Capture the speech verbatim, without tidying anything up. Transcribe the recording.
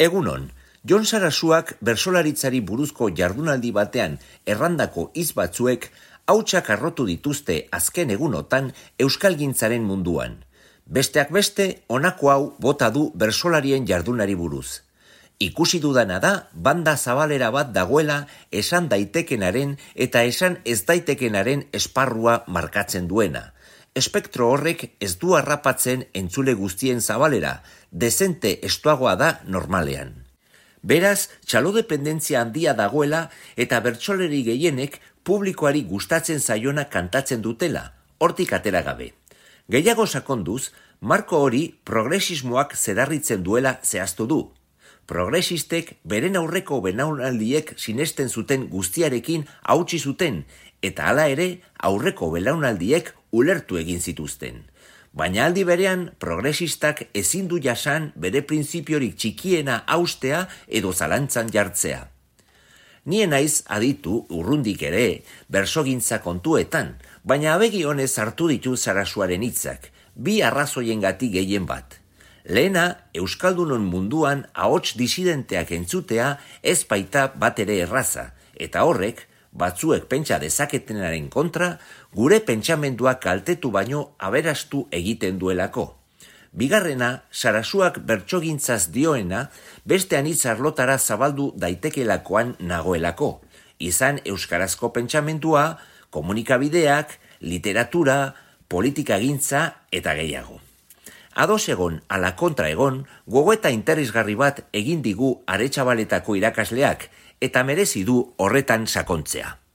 Egunon, Jon Sarasuak bertsolaritzari buruzko jardunaldi batean errandako hitz batzuek hautsak arrotu dituzte azken egunotan euskalgintzaren munduan. Besteak beste, honako hau bota du bertsolarien jardunari buruz. Ikusi dudana da, banda zabalera bat dagoela esan daitekenaren eta esan ez daitekenaren esparrua markatzen duena. Espektro horrek ez du harrapatzen entzule guztien zabalera, dezente estuagoa da normalean. Beraz, txalodependentzia handia dagoela eta bertsoleri gehienek publikoari gustatzen zaiona kantatzen dutela, hortik atera gabe. Gehiago sakonduz, marko hori progresismoak zedarritzen duela zehaztu du. Progresistek beren aurreko belaunaldiek sinesten zuten guztiarekin hautsi zuten, eta hala ere aurreko belaunaldiek ulertu egin zituzten. Baina aldi berean, progresistak ezin du jasan bere printzipiorik txikiena haustea edo zalantzan jartzea. Ni naiz aditu urrundik ere bersogintza kontuetan, baina abegi honez hartu ditu Sarasuaren hitzak, bi arrazoiengatik gehien bat. Lehena, euskaldunon munduan ahots disidenteak entzutea ez baita bat ere erraza, eta horrek, batzuek pentsa dezaketenaren kontra, gure pentsamendua kaltetu baino aberastu egiten duelako. Bigarrena, Sarasuak bertsogintzaz dioena, beste anitz arlotara zabaldu daitekelakoan nagoelako, izan euskarazko pentsamendua, komunikabideak, literatura, politikagintza eta gehiago. Ados egon ala kontra egon, gogoeta interesgarri bat egin digu Aretxabaletako irakasleak eta merezi du horretan sakontzea.